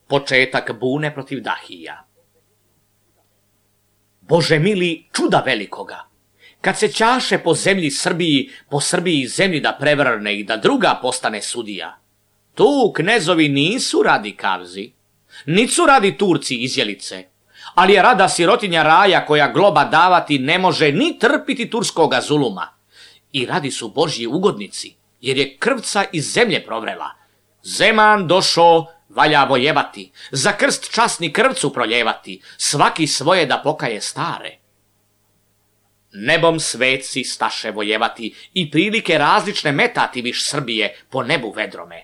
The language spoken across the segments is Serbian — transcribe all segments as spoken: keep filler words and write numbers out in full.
početak bune protiv Dahija. Bože mili, čuda velikoga! Kad se ćaše po zemlji Srbiji, po Srbiji zemlji da prevrne i da druga postane sudija, tu knezovi nisu radi kavzi, nisu radi Turci izjelice, ali je rada sirotinja raja koja globa davati ne može ni trpiti turskoga zuluma. I radi su Božji ugodnici, jer je krvca iz zemlje provrela. Zeman došo, valja vojevati, za krst časni krvcu proljevati, svaki svoje da pokaje stare. Nebom sveci staše vojevati i prilike različne metati viš Srbije po nebu vedrome.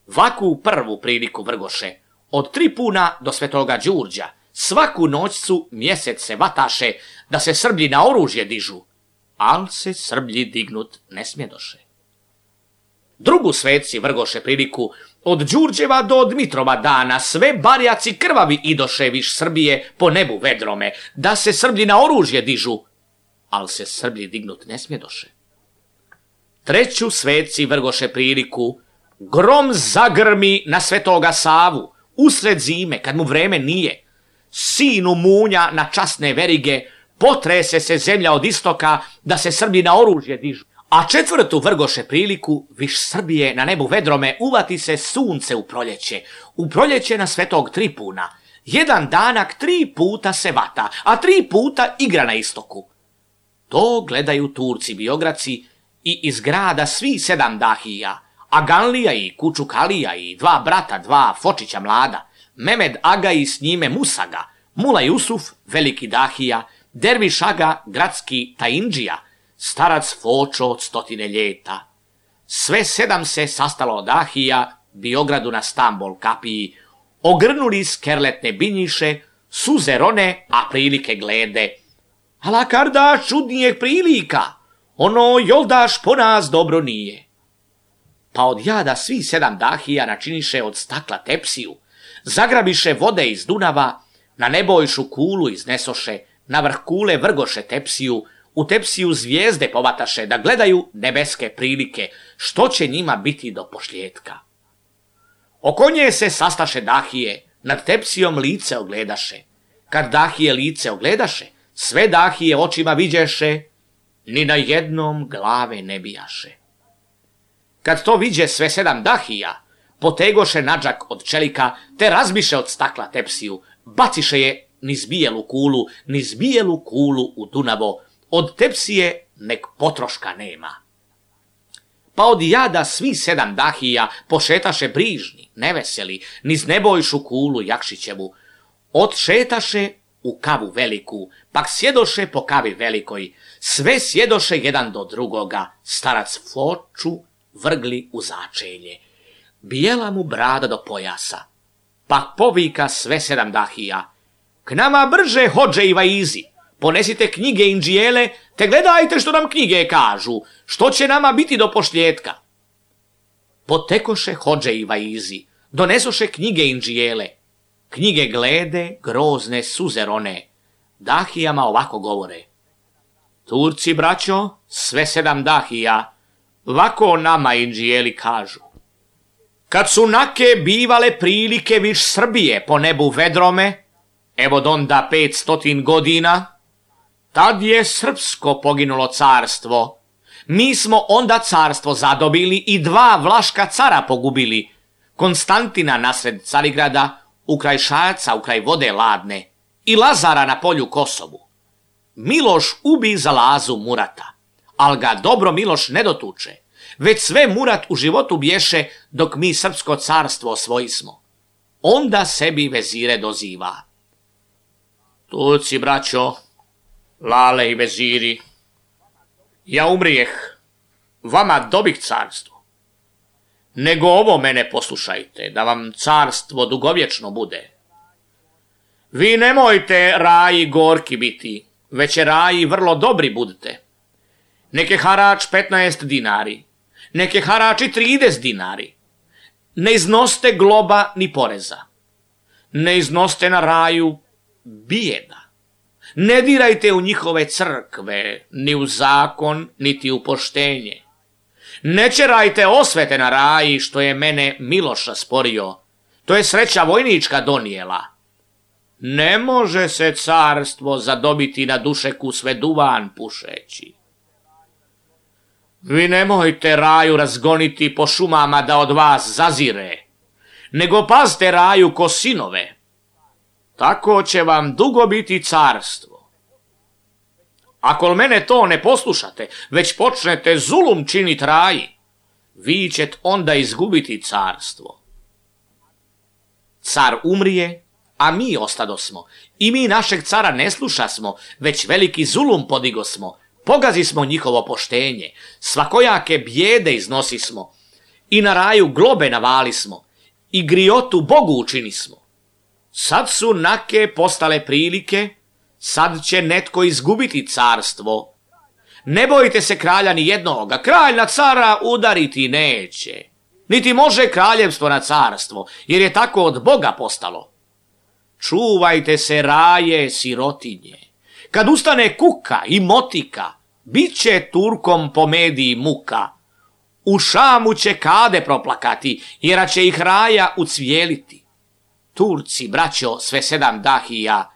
Vaku prvu priliku vrgoše, od Tripuna do Svetoga Đurđa, svaku noćcu mjesec se vataše da se Srblji na oružje dižu, al se Srblji dignut ne smjedoše. Drugu sveci vrgoše priliku, od Đurđeva do Dmitrova dana, sve barjaci krvavi idoše viš Srbije po nebu vedrome, da se Srblji na oružje dižu, al se Srblji dignut ne smjedoše. Treću sveci vrgoše priliku, grom zagrmi na Svetoga Savu, usred zime, kad mu vreme nije, sinu munja na časne verige, potrese se zemlja od istoka, da se Srbi na oružje dižu. A četvrtu vrgoše priliku, viš Srbije na nebu vedrome, uvati se sunce u proljeće, u proljeće na Svetog Tripuna. Jedan danak tri puta se vata, a tri puta igra na istoku. To gledaju Turci Biograci i iz grada svi sedam Dahija, Aganlija i Kučukalija i dva brata, dva Fočića mlada, Memed Aga i s njime Musaga, Mula Jusuf, veliki Dahija, Derviš Aga, gradski Taindžija, starac Fočo od stotine ljeta. Sve sedam se sastalo od Dahija, Biogradu na Stambol kapiji, ogrnuli skerletne binjiše, suze rone, a prilike glede. Ala kardaš čudnijeg prilika, ono joldaš po nas dobro nije. Pa od jada svi sedam Dahija načiniše od stakla tepsiju, zagrabiše vode iz Dunava, na nebojšu kulu iznesoše, na vrh kule vrgoše tepsiju, u tepsiju zvijezde povataše da gledaju nebeske prilike, što će njima biti do pošljetka. Oko nje se sastaše Dahije, nad tepsijom lice ogledaše. Kad Dahije lice ogledaše, sve Dahije očima viđeše, ni na jednom glave ne bijaše. Kad to viđe sve sedam Dahija, potegoše nadžak od čelika, te razbiše od stakla tepsiju, baciše je niz bijelu kulu, niz bijelu kulu u Dunavo, od tepsije nek potroška nema. Pa od jada svi sedam Dahija pošetaše brižni, neveseli, niz nebojšu kulu Jakšićevu, odšetaše u kavu veliku, pak sjedoše po kavi velikoj, sve sjedoše jedan do drugoga, starac Foču vrgli u začelje, bijela mu brada do pojasa, pak povika sve sedam Dahija, k nama brže hođe i vaizi, ponesite knjige Indžijele, te gledajte što nam knjige kažu, što će nama biti do pošljetka. Potekoše hođe i vaizi, donesoše knjige Indžijele, knjige glede, grozne suze rone, Dahijama ovako govore. Turci, braćo, sve sedam Dahija, vako nama Indžijeli kažu. Kad su nake bivale prilike viš Srbije po nebu vedrome, evo donda pet stotin godina, tad je srpsko poginulo carstvo. Mi smo onda carstvo zadobili i dva vlaška cara pogubili, Konstantina nasred Carigrada, ukraj Šajaca, ukraj vode ladne, i Lazara na polju Kosovu. Miloš ubi za Lazu Murata, al ga dobro Miloš ne dotuče, već sve Murat u životu bješe dok mi srpsko carstvo osvojismo. Onda sebi vezire doziva. Turci, braćo, lale i veziri, ja umrijeh, vama dobih carstvo. Nego ovo mene poslušajte, da vam carstvo dugovječno bude. Vi nemojte raji gorki biti, već je raji vrlo dobri budite. Neke harač petnaest dinari, neke harači trideset dinari. Ne iznoste globa ni poreza. Ne iznoste na raju bijeda. Ne dirajte u njihove crkve, ni u zakon, niti u poštenje. Ne čerajte osvete na raji, što je mene Miloš rasporio. to je sreća vojnička donijela. Ne može se carstvo zadobiti na dušeku sve duvan pušeći. Vi nemojte raju razgoniti po šumama da od vas zazire, nego pazte raju ko sinove. Tako će vam dugo biti carstvo. Ako mene to ne poslušate, već počnete zulum činit raji, vi ćete onda izgubiti carstvo. Car umrije, a mi ostadosmo, i mi našeg cara ne slušasmo, već veliki zulum podigosmo, pogazi smo njihovo poštenje, svakojake bijede iznosismo, i na raju globe navalismo, i griotu Bogu učinismo. Sad su nake postale prilike, sad će netko izgubiti carstvo. Ne bojite se kralja ni jednoga, kralj na cara udariti neće, niti može kraljevstvo na carstvo, jer je tako od Boga postalo. Čuvajte se raje sirotinje, kad ustane kuka i motika, bit će Turkom po mediji muka. U Šamu će kade proplakati, jer će ih raja ucvijeliti. Turci, braćo, sve sedam dahija,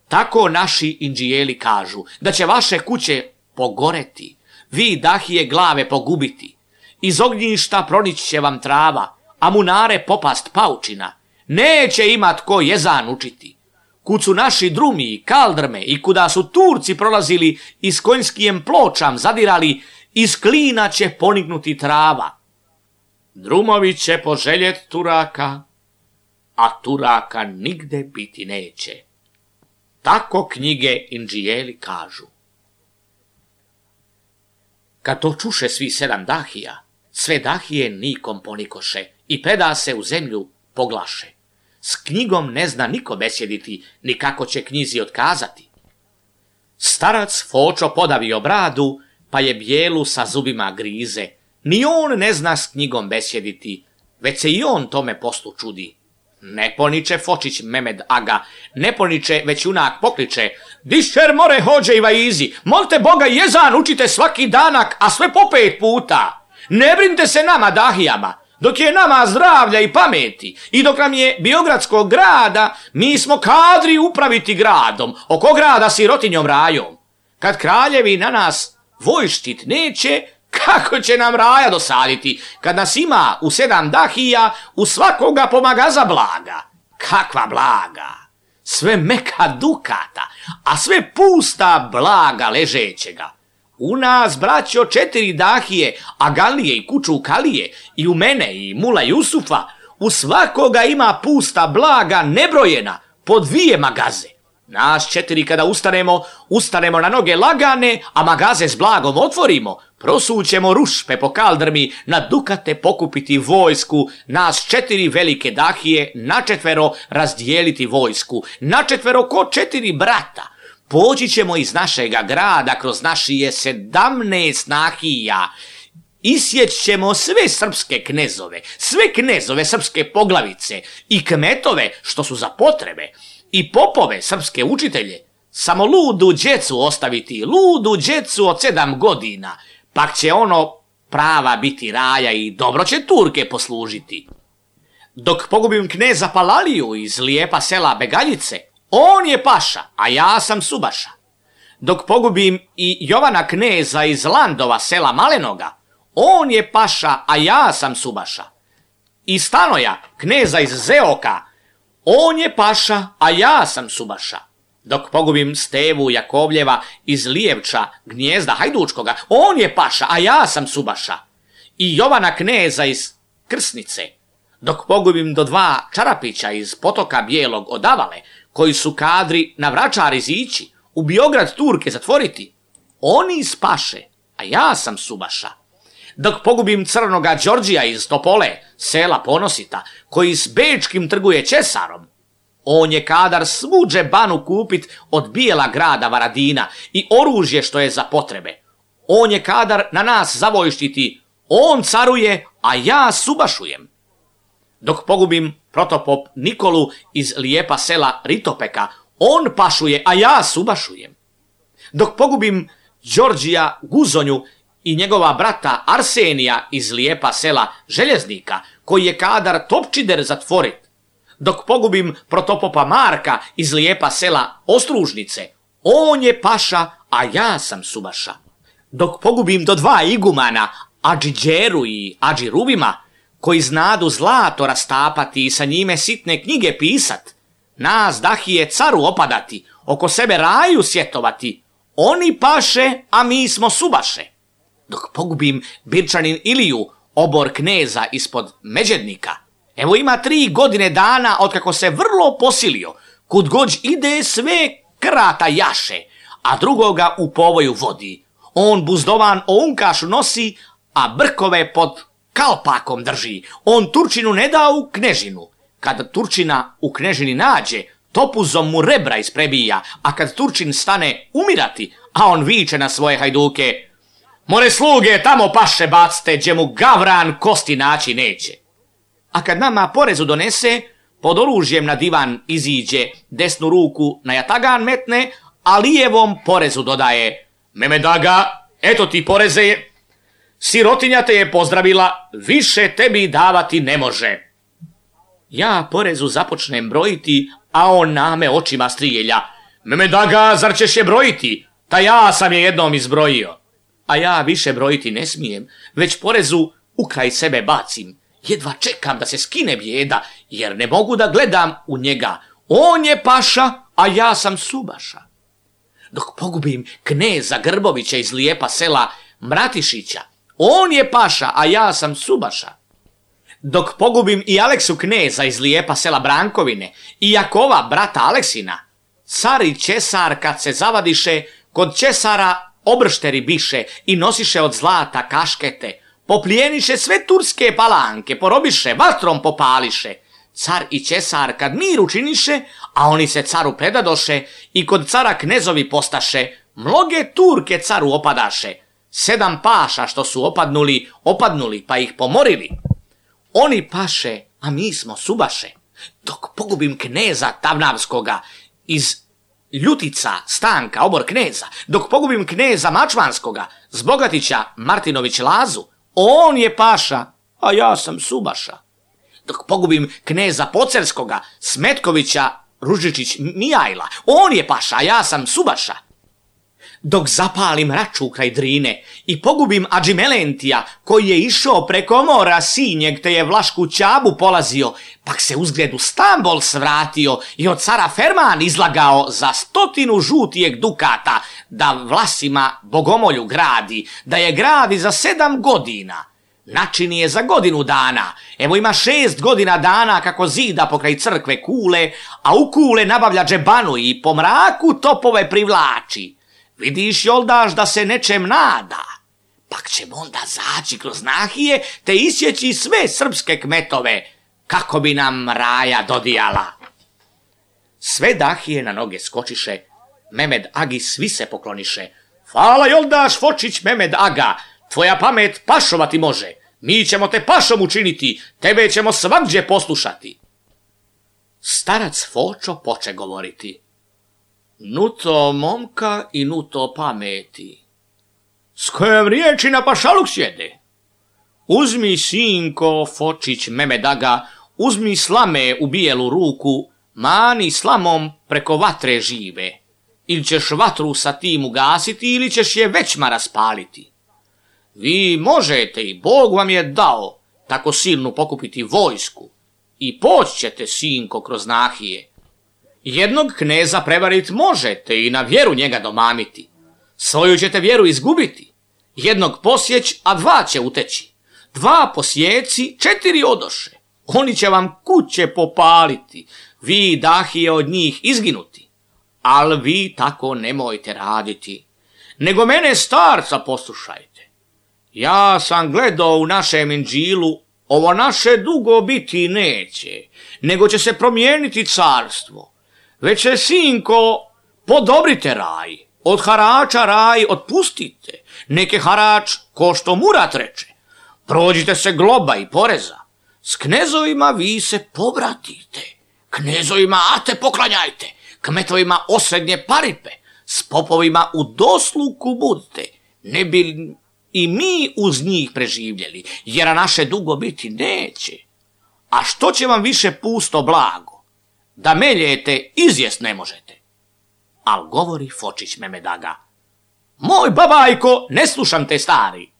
tako naši indžijeli kažu, da će vaše kuće pogoreti, vi dahije glave pogubiti. Iz ognjišta pronići će vam trava, a munare popast paučina. Neće imat ko jezan učiti. Kud su naši drumi i kaldrme i kuda su Turci prolazili i s konjskijem pločam zadirali, iz klina će ponignuti trava. Drumovi će poželjet Turaka, a Turaka nigde biti neće. Tako knjige indžijeli kažu. Kad to čuše svi sedam dahija, sve dahije nikom ponikoše i preda se u zemlju poglaše. S knjigom ne zna niko besjediti, ni kako će knjizi otkazati. Starac Fočo podavio bradu, pa je bijelu sa zubima grize. Ni on ne zna s knjigom besjediti, već se i on tome poslu čudi. Ne poniče Fočić Memed Aga, ne poniče, već junak pokliče: Dišer more hođe i vaizi, molite Boga jezan učite svaki danak, a sve po pet puta. Ne brinite se nama dahijama, dok je nama zdravlja i pameti, i dok nam je Biogradskog grada, mi smo kadri upraviti gradom, oko grada sirotinjom rajom. Kad kraljevi na nas vojštit neće, kako će nam raja dosaditi, kad nas ima u sedam dahija, u svakoga pomagaza blaga. Kakva blaga? Sve meka dukata, a sve pusta blaga ležećega. U nas, braćo, četiri dahije, Agalije i kuću Kalije, i u mene i mula Jusufa, u svakoga ima pusta blaga nebrojena, po dvije magaze. Nas četiri kada ustanemo, ustanemo na noge lagane, a magaze s blagom otvorimo, prosućemo rušpe po kaldrmi, na dukate pokupiti vojsku, nas četiri velike dahije, načetvero razdijeliti vojsku, načetvero ko četiri brata. Poći ćemo iz našega grada kroz našije sedamnaest nahija, isjeć ćemo sve srpske knezove, sve knezove srpske poglavice i kmetove što su za potrebe, i popove srpske učitelje, samo ludu djecu ostaviti, ludu djecu od sedam godina, pak će ono prava biti raja i dobro će Turke poslužiti. Dok pogubim kneza Palaliju iz lijepa sela Begaljice, on je paša, a ja sam subaša. Dok pogubim i Jovana kneza iz Landova sela Malenoga, on je paša, a ja sam subaša. I Stanoja, kneza iz Zeoka, on je paša, a ja sam subaša. Dok pogubim Stevu Jakovljeva iz Lijevča, gnjezda Hajdučkoga, on je paša, a ja sam subaša. I Jovana kneza iz Krsnice. Dok pogubim do dva Čarapića iz Potoka Bijelog od Avale, koji su kadri na Vračar izići, u Biograd Turke zatvoriti, oni spaše, a ja sam subaša. Dok pogubim crnoga Đorđija iz Topole, sela Ponosita, koji s bečkim trguje Česarom, on je kadar svu džebanu kupit od bijela grada Varadina i oružje što je za potrebe. On je kadar na nas zavojštiti, on caruje, a ja subašujem. Dok pogubim protopop Nikolu iz lijepa sela Ritopeka, on pašuje, a ja subašujem. Dok pogubim Đorđija Guzonju i njegova brata Arsenija iz lijepa sela Željeznika, koji je kadar Topčider zatvorit, dok pogubim protopopa Marka iz lijepa sela Ostružnice, on je paša, a ja sam subaša. Dok pogubim do dva igumana, Adžiđeru i Adžirubima, koji znadu zlato rastapati i sa njime sitne knjige pisat, nas dahije caru opadati, oko sebe raju sjetovati, oni paše, a mi smo subaše. Dok pogubim Birčanin Iliju, obor kneza ispod Međednika, evo ima tri godine dana otkako se vrlo posilio, kud god ide sve krata jaše, a drugoga u povoju vodi. On buzdovan o unkašu nosi, a brkove pod kalpakom drži. On Turčinu ne da u knežinu. Kad Turčina u knežini nađe, topuzom mu rebra isprebija, a kad Turčin stane umirati, a on viče na svoje hajduke: more sluge, tamo paše bacte, gdje mu gavran kosti naći neće. A kad nama porezu donese, pod oružjem na divan iziđe, desnu ruku na jatagan metne, a lijevom porezu dodaje: Memed Aga, eto ti poreze, sirotinja te je pozdravila, više tebi davati ne može. Ja porezu započnem brojiti, a on na me očima strijelja: Memed Aga, zar ćeš je brojiti? Ta ja sam je jednom izbrojio. A ja više brojiti ne smijem, već porezu u kraj sebe bacim. Jedva čekam da se skine bijeda, jer ne mogu da gledam u njega. On je paša, a ja sam subaša. Dok pogubim kneza Grbovića iz lijepa sela Mratišića, on je paša, a ja sam subaša. Dok pogubim i Aleksu kneza iz lijepa sela Brankovine i Jakova, brata Aleksina, car i česar kad se zavadiše, kod česara obršteri biše i nosiše od zlata kaškete, poplijeniše sve turske palanke, porobiše, vatrom popališe. Car i česar kad mir učiniše, a oni se caru predadoše i kod cara knezovi postaše, mnoge Turke caru opadaše. Sedam paša što su opadnuli, opadnuli pa ih pomorili. Oni paše, a mi smo subaše. Dok pogubim kneza Tavnavskoga iz Ljutica Stanka, obor kneza, dok pogubim kneza Mačvanskoga, Zbogatića Martinović Lazu, on je paša, a ja sam subaša. Dok pogubim kneza Pocerskoga, Smetkovića Ružičić Mijajla, on je paša, a ja sam subaša. Dok zapalim raču kraj Drine i pogubim Adžimelentija, koji je išao preko mora Sinjeg, te je Vlašku Ćabu polazio, pak se uzgled u Stambol svratio i od cara Ferman izlagao za stotinu žutijeg dukata, da Vlasima bogomolju gradi, da je gradi za sedam godina. Načini je za godinu dana, evo ima šest godina dana kako zida pokraj crkve kule, a u kule nabavlja džebanu i po mraku topove privlači. Vidiš, Joldaš, da se nečem nada, pak ćemo onda zaći kroz nahije te isjeći sve srpske kmetove, kako bi nam raja dodijala. Sve dahije na noge skočiše, Memed Agi svi se pokloniše. Hvala, Joldaš Fočić Memed Aga, tvoja pamet pašovati može, mi ćemo te pašom učiniti, tebe ćemo svagdje poslušati. Starac Fočo poče govoriti: Nuto momka i nuto pameti, s kojom riječi na pašaluk sjede. Uzmi, sinko Fočić Memed Aga, uzmi slame u bijelu ruku, mani slamom preko vatre žive. Ili ćeš vatru sa tim ugasiti, ili ćeš je većma raspaliti. Vi možete i Bog vam je dao tako silnu pokupiti vojsku i poći ćete, sinko, kroz nahije. Jednog kneza prevarit možete i na vjeru njega domamiti. Svoju ćete vjeru izgubiti. Jednog posjeć, a dva će uteći. Dva posjeci, četiri odoše. Oni će vam kuće popaliti. Vi dahije od njih izginuti. Al vi tako nemojte raditi. Nego mene starca poslušajte. Ja sam gledao u našem Inđilu, ovo naše dugo biti neće, nego će se promijeniti carstvo. Već se, sinko, podobrite raj, od harača raj otpustite, neke harač ko što Murat reče. Prođite se globa i poreza, s knezovima vi se pobratite, knezovima ate poklanjajte, kmetovima osrednje paripe, s popovima u dosluku budite, ne bi i mi uz njih preživljeli, jer naše dugo biti neće. A što će vam više pusto blago? da meljete izjest ne možete. Al govori Fočić Mehmed Aga: moj babajko, ne slušam te stari.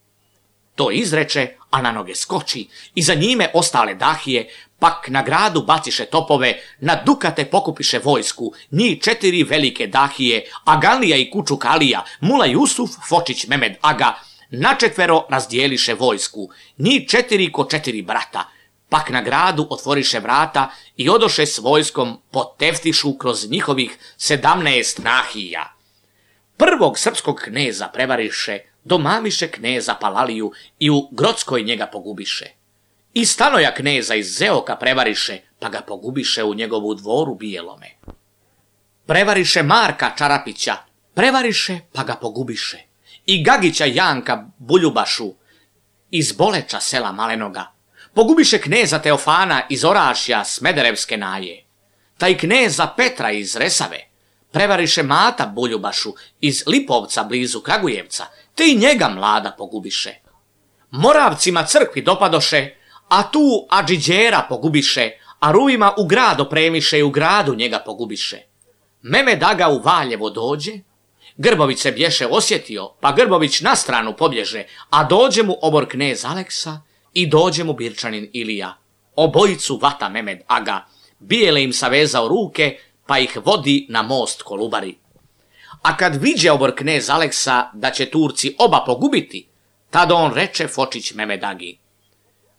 To izreče, a na noge skoči, i za njime ostale dahije, pak na gradu baciše topove, na dukate pokupiše vojsku, njih četiri velike dahije, Agalija i Kučukalija, Mula Jusuf, Fočić Mehmed Aga, načetvero razdijeliše vojsku, njih četiri ko četiri brata, pak na gradu otvoriše vrata i odoše s vojskom poteftišu kroz njihovih sedamnaest nahija. Prvog srpskog kneza prevariše, domamiše kneza Palaliju i u Grockoj njega pogubiše. I Stanoja kneza iz Zeoka prevariše, pa ga pogubiše u njegovu dvoru Bijelome. Prevariše Marka Čarapića, prevariše, pa ga pogubiše. I Gagića Janka Buljubašu iz Boleča sela Malenoga. Pogubiše kneza Teofana iz Orašja Smederevske naje. Taj kneza Petra iz Resave. Prevariše Mata Buljubašu iz Lipovca blizu Kragujevca, te i njega mlada pogubiše. Moravcima crkvi dopadoše, a tu Adžiđera pogubiše, a Ruvima u grad opremiše i u gradu njega pogubiše. Mehmed Aga u Valjevo dođe, Grbović se bješe osjetio, pa Grbović na stranu pobježe, a dođe mu obor knez Aleksa i dođe mu Birčanin Ilija. Obojicu vata Mehmed Aga, bijele im savezao ruke, pa ih vodi na most Kolubari. A kad viđe obor knez Aleksa da će Turci oba pogubiti, tada on reče Fočić Mehmed Agi: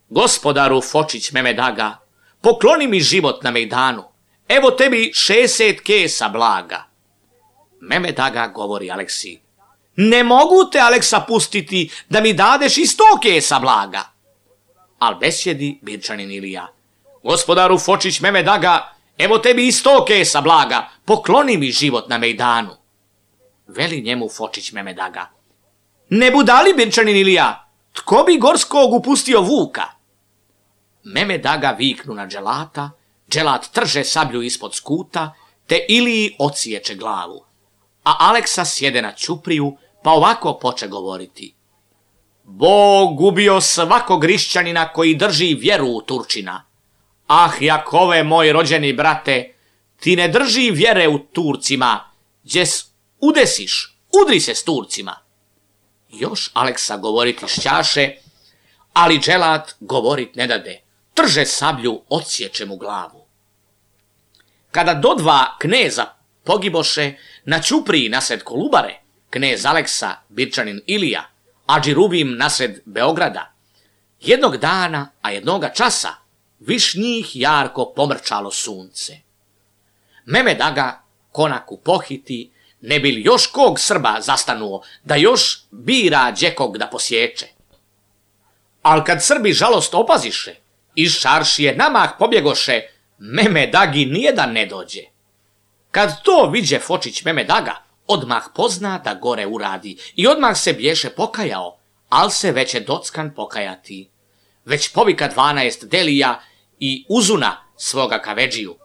gospodaru Fočić Mehmed Aga, pokloni mi život na mejdanu, evo tebi šeset kesa blaga. Mehmed Aga govori Aleksi: ne mogu te, Aleksa, pustiti da mi dadeš i sto kesa blaga. Al besjedi Birčanin Ilija: gospodaru Fočić Mehmed Aga, evo tebi i sto kesa blaga, pokloni mi život na mejdanu. Veli njemu Fočić Mehmed Aga: ne budali, Birčanin Ilija, tko bi Gorskog upustio vuka? Mehmed Aga viknu na dželata, dželat trže sablju ispod skuta, te Iliji ociječe glavu. A Aleksa sjede na ćupriju, pa ovako poče govoriti: Bog ubio svakog Hrišćanina koji drži vjeru u Turčina. Ah, Jakove, moj rođeni brate, ti ne drži vjere u Turcima, gdjes udesiš, udri se s Turcima. Još Aleksa govoriti šćaše, ali dželat govorit ne dade, trže sablju, odsječe mu glavu. Kada do dva kneza pogiboše, na ćupriji nasred Kolubare, knez Aleksa, Birčanin Ilija, Adži Rubim nasred Beograda, jednog dana, a jednoga časa, viš njih jarko pomrčalo sunce. Mehmed Aga konaku pohiti, ne bi li još kog Srba zastanuo, da još bira đekog da posječe. Al kad Srbi žalost opaziše, iz Šaršije namah pobjegoše, Mehmed Agi nijedan ne dođe. Kad to viđe Fočić Mehmed Aga, odmah pozna da gore uradi i odmah se bješe pokajao, al se već je dockan pokajati. Već povika dvanaest delija i uzuna svoga kavedžiju: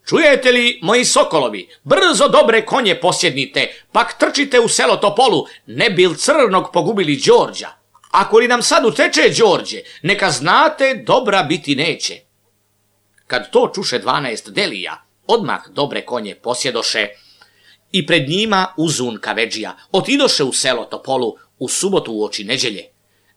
čujete li, moji sokolovi, brzo dobre konje posjednite, pak trčite u selo Topolu, ne bil crnog pogubili Đorđa. Ako li nam sad uteče Đorđe, neka znate dobra biti neće. Kad to čuše dvanaest delija, odmah dobre konje posjedoše i pred njima uzun kavedžija otidoše u selo Topolu u subotu uoči neđelje.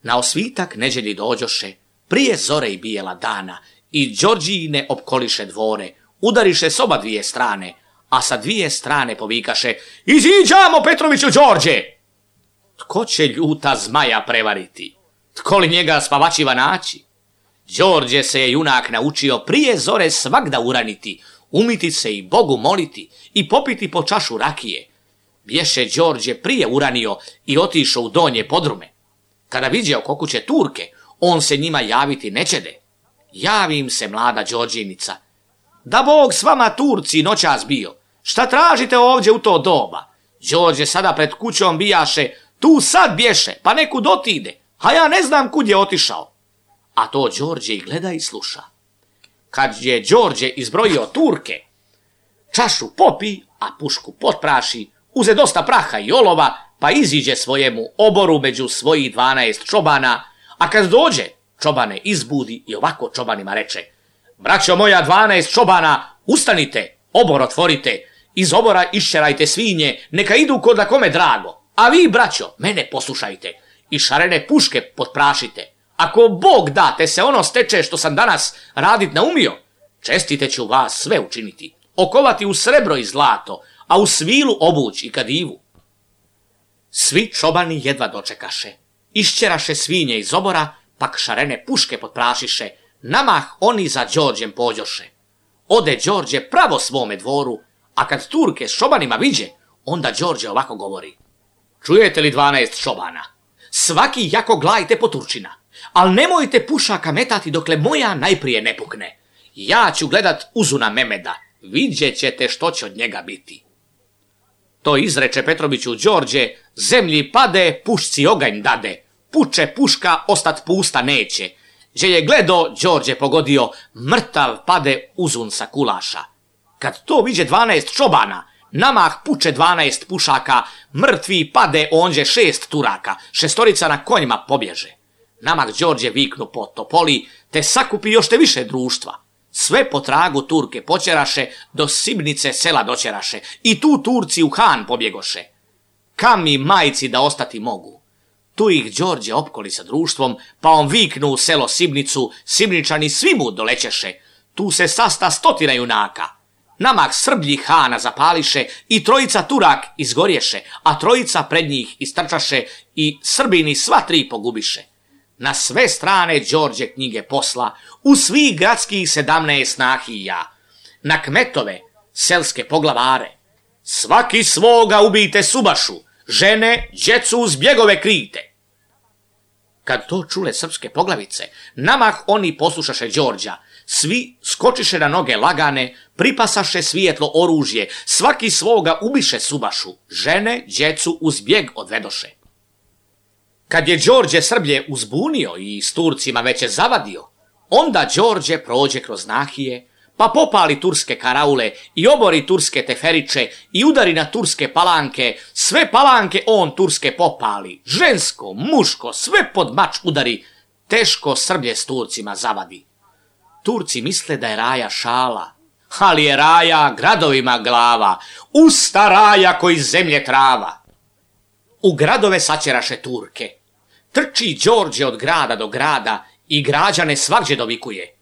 Na osvitak neđelji dođoše, prije zore i bijela dana, i Đorđijine opkoliše dvore, udariše s oba dvije strane, a sa dvije strane povikaše: iziđamo, Petroviću Đorđe! Tko će ljuta zmaja prevariti? Tko li njega spavačiva naći? Đorđe se je junak naučio prije zore svagda uraniti, umiti se i Bogu moliti i popiti po čašu rakije. Bješe Đorđe prije uranio i otišao u donje podrume. Kada viđe oko kuće Turke, on se njima javiti nećede. Javim se, mlada Đorđinica: da Bog s vama, Turci, noćas bio, šta tražite ovdje u to doba? Đorđe sada pred kućom bijaše, tu sad bješe, pa nekud otide, a ja ne znam kud je otišao. A to Đorđe i gleda i sluša. Kad je Đorđe izbrojio Turke, čašu popi, a pušku potpraši, uze dosta praha i olova, pa iziđe svojemu oboru među svojih dvanaest čobana, a kad dođe, čobane izbudi i ovako čobanima reče: braćo moja dvanaest čobana, Ustanite, obor otvorite, iz obora iščerajte svinje, neka idu kod da kome drago. A vi, braćo, mene poslušajte i šarene puške potprašite. Ako Bog da te se ono steče što sam danas radit naumio, čestite ću vas sve učiniti, okovati u srebro i zlato, a u svilu obuć i kadivu. Svi čobani jedva dočekaše, išćeraše svinje iz obora, pak šarene puške potprašiše, namah oni za Đorđem pođoše. Ode Đorđe pravo svome dvoru, a kad Turke s čobanima viđe, onda Đorđe ovako govori. Čujete li dvanaest čobana? Svaki jako glajte po Turčina, al nemojte pušaka metati dokle moja najprije ne pukne. Ja ću gledat Uzuna Memeda, vidjet ćete što će od njega biti. To izreče Petroviću Đorđe, zemlji pade, pušci oganj dade, puče puška, ostat pusta neće. Gdje je gledo, Đorđe pogodio, mrtav pade Uzun sa kulaša. Kad to viđe dvanaest čobana, namah puče dvanaest pušaka, mrtvi pade onđe šest Turaka, šestorica na konjima pobježe. Namah Đorđe viknu po topoli, te sakupi još te više društva. Sve po tragu Turke počeraše, do Sibnice sela doćeraše, i tu Turci u Han pobjegoše. Kam mi majci da ostati mogu? Tu ih Đorđe opkoli sa društvom, pa on viknu u selo Sibnicu, Sibničani svi mu dolećeše. Tu se sasta stotina junaka. Namah Srblji Hana zapališe i trojica Turak izgorješe, a trojica pred njih istrčaše i Srbini sva tri pogubiše. Na sve strane Đorđe knjige posla, u svih gradskih sedamnaest nahija, na kmetove, selske poglavare. Svaki svoga ubijte subašu, žene, djecu uz bjegove krijte. Kad to čule srpske poglavice, namah oni poslušaše Đorđa, svi skočiše na noge lagane, pripasaše svijetlo oružje, svaki svoga ubiše subašu, žene, djecu uz bjeg odvedoše. Kad je Đorđe Srblje uzbunio i s Turcima već je zavadio, onda Đorđe prođe kroz nahije, pa popali turske karaule i obori turske teferiče i udari na turske palanke, sve palanke on turske popali, žensko, muško, sve pod mač udari, teško Srblje s Turcima zavadi. Turci misle da je raja šala, ali je raja gradovima glava, usta raja koji zemlje trava. U gradove sačeraše Turke. Trči Đorđe od grada do grada i građane svagdje dovikuje.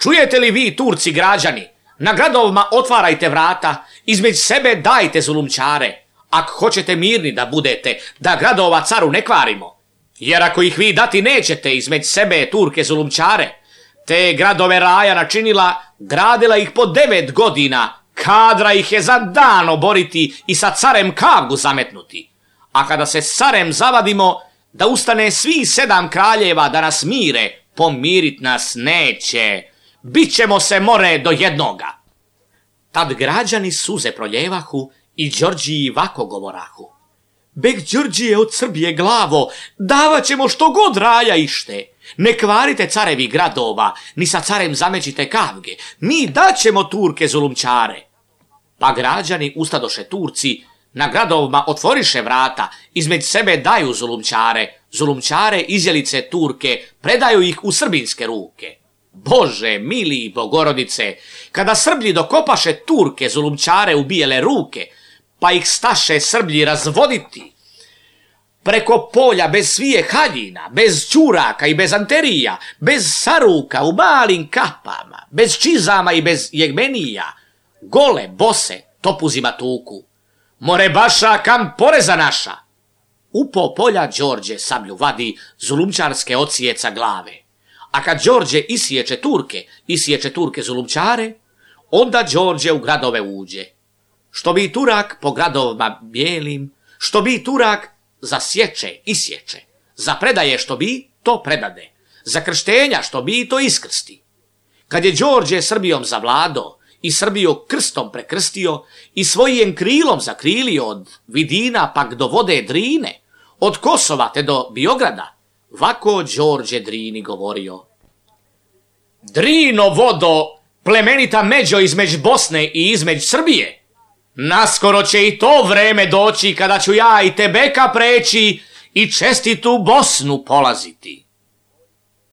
Čujete li vi, Turci građani, na gradovima otvarajte vrata, između sebe dajte zulumčare, ako hoćete mirni da budete, da gradova caru ne kvarimo. Jer ako ih vi dati nećete između sebe Turke zulumčare, te gradove raja načinila, gradila ih po devet godina, kadra ih je za dan oboriti i sa carem kavgu zametnuti. A kada se s carem zavadimo, da ustane svi sedam kraljeva da nas mire, pomirit nas neće, bit ćemo se more do jednoga. Tad građani suze proljevahu i Đorđiji vako govorahu. Beg Đorđije od Srbije glavo, davat ćemo što god raja ište. Ne kvarite carevi gradova, ni sa carem zamećite kavge, mi daćemo Turke zulumčare. Pa građani ustadoše Turci, na gradovima otvoriše vrata, između sebe daju zulumčare, zulumčare izjelice Turke, predaju ih u srbinske ruke. Bože, mili Bogorodice, kada Srblji dokopaše Turke zulumčare u bijele ruke, pa ih staše Srblji razvoditi, preko polja bez svije haljina, bez ćuraka i bez anterija, bez saruka u malim kapama, bez čizama i bez jegmenija, gole, bose, topuzima tuku. More baša kam poreza naša. Upo polja Đorđe sablju vadi, zulumčarske ocijeca glave. A kad Đorđe isiječe Turke, isiječe Turke zulumčare, onda Đorđe u gradove uđe. Što bi Turak po gradovima bijelim, što bi Turak zasječe, isječe, za predaje što bi, to predade, za krštenja što bi, to iskrsti. Kad je Đorđe Srbijom zavlado i Srbiju krstom prekrstio i svojim krilom zakrilio od Vidina pak do vode Drine, od Kosova te do Biograda, vako Đorđe Drini govorio. Drino vodo, plemenita međo između Bosne i između Srbije, naskoro će i to vreme doći kada ću ja i tebeka preći i čestitu Bosnu polaziti.